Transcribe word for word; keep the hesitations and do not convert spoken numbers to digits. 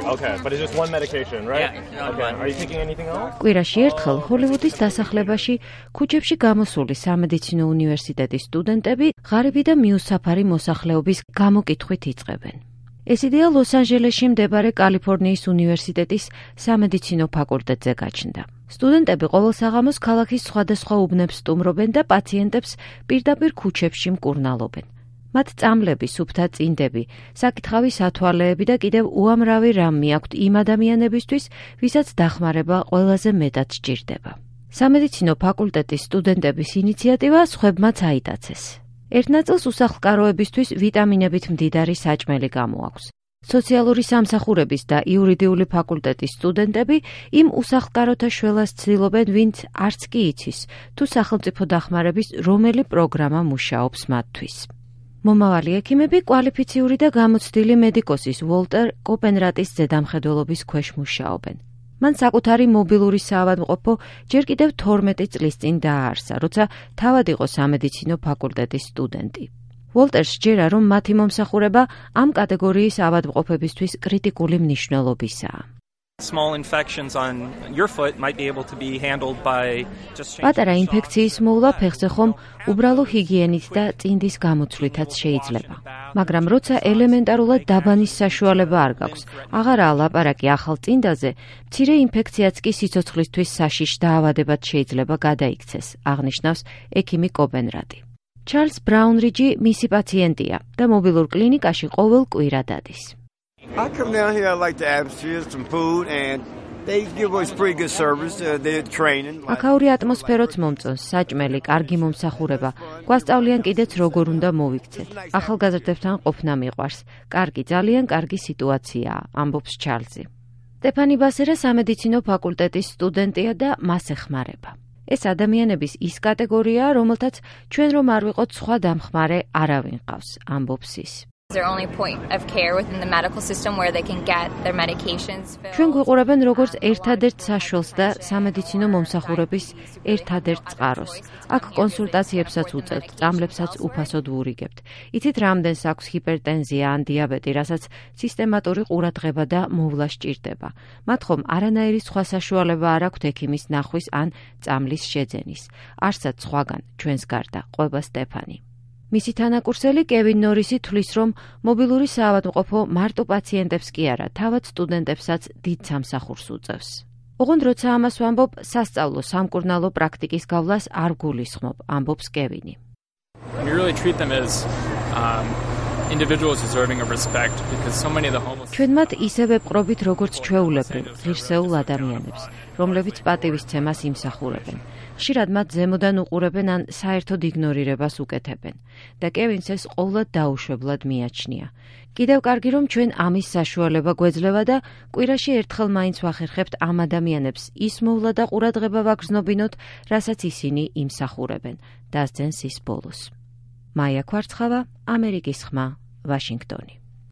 Okay, but it's just one medication, right? Yeah. Okay. Are you taking anything else? კვირაში ერთხელ ჰოლივუდის დასახლებაში ქუჩებში გამოსული სამედიცინო უნივერსიტეტის სტუდენტები ღარიბი და მიუსაფარი მოსახლეობის გამოკითხვით იწყებენ. ეს იდეა ლოს-ანჯელესში მდებარე კალიფორნიის უნივერსიტეტის სამედიცინო ფაკულტეტზე გაჩნდა. სტუდენტები ყოველ საღამოს ქალაქის სხვადასხვა უბნებს სტუმრობენ და პაციენტებს პირდაპირ ქუჩებში მკურნალობენ. მათ წამლები, სუფთა წინდები, საკითხავი სათვალეები და კიდევ უამრავი რამ მიაქვთ იმ ადამიანებისთვის, ვისაც დახმარება ყველაზე მეტად სჭირდება. სამედიცინო ფაკულტეტის სტუდენტების ინიციატივა სხვებმაც აიტაცეს. ერთ ნაწილს უსახლკაროებისთვის ვიტამინებით მდიდარი საჭმელი გამოაქვს. სოციალური სამსახურების და იურიდიული ფაკულტეტის სტუდენტები იმ უსახლკაროთა შველას ცდილობენ, ვინც არც კი იცის, თუ სახელმწიფო დახმარების რომელი პროგრამა მუშაობს მათთვის. მომავალი ექიმები კვალიფიციური და გამოცდილი მედიკოსის ვოლტერ კოპენრატის ზედამხედველობის ქვეშ მუშაობენ. მან საკუთარი მობილური საავადმყოფო ჯერ კიდევ თორმეტი წლის წინ დააარსა, როცა თავად იყო სამედიცინო ფაკულტეტის სტუდენტი. ვოლტერს სჯერა, რომ მათი მომსახურება ამ კატეგორიის ავადმყოფებისთვის კრიტიკული მნიშვნელობისაა. Small infections on your foot might be able to be handled by just პატარა ინფექციის მოვლა ფეხზე ხომ უბრალო ჰიგიენით და წინდის გამოცვლითაც შეიძლება. მაგრამ როცა ელემენტარულად დაბანის საშუალება არ გაქვს, აღარაა ლაპარაკი ახალ წინდაზე, მცირე ინფექციაც კი სიცოცხლისთვის საშიშ დაავადებად შეიძლება გადაიქცეს, აღნიშნავს ექიმი კოპენრატი. ჩარლზ ბრაუნრიჯი მისი პაციენტია და მობილურ კლინიკაში ყოველ კვირა დადის. I come down here, I like to ask some food and they give us pretty good service, uh, they're training. აქაური ატმოსფეროც მომწონს, საჭმელი, კარგი მომსახურება. გვასწავლიან კიდეც როგორ უნდა მოვიქცეთ. ახალგაზრდებთან ყოფნა მიყვარს. კარგი, ძალიან კარგი სიტუაციაა, ამბობს ჩარლზი. სტეფანი ბასერა სამედიცინო ფაკულტეტის სტუდენტია და მას ეხმარება. ეს ადამიანების ის კატეგორიაა, რომელთაც ჩვენ რომ არ ვიყოთ სხვა დამხმარე არავინ ყავს, ამბობს ის. Their only point of care within the medical system where they can get their medications filled. ჩვენ გვიყურებენ როგორც ერთადერთ საშუალს და სამედიცინო მომსახურების ერთადერთ წყაროს. აქ კონსულტაციებსაც უწევთ, წამლებსაც უფასოდ ვურიგებთ. იცით რამდენს აქვს ჰიპერტენზია ან დიაბეტი, რასაც სისტემატური ყურადღება და მოვლა სჭირდება. მათ ხომ არანაირი სხვა საშუალება არ აქვთ ექიმის ნახვის ან წამლის შეძენის. არსად სხვაგან ჩვენს გარდა, ყვება სტეფანი. მისი თანაკურსელი კევინ ნორისი თვლის, რომ მობილური საავადმყოფო მარტო პაციენტებს კი არა, თავად სტუდენტებსაც დიდ სამსახურს უწევს. ოღონდ როცა ამას ვამბობ, სასწავლო სამკურნალო პრაქტიკის გავლას არ გულისხმობ, ამბობს კევინი. We really treat them as um, individuals deserving of respect because so many of the homeless ჩვენ მათ ისევე ვყრობით, როგორც ჩვეულებრივ, ღირსეულ ადამიანებს, რომლებიც პატივისცემას იმსახურებენ. ხშირად მათ ზემოდან უყურებენ ან საერთოდ იგნორირებას უკეთებენ და კევინს ეს ყოვლად დაუშვებლად მიაჩნია. კიდევ კარგი, რომ ჩვენ ამის საშუალება გვეძლევა და კვირაში ერთხელ მაინც ვახერხებთ ამ ადამიანებს ის მოვლა და ყურადღება ვაგრძნობინოთ, რასაც ისინი იმსახურებენ, დასძენს ის ბოლოს. მაია ქვარცხავა, ამერიკის ხმა, ვაშინგტონი.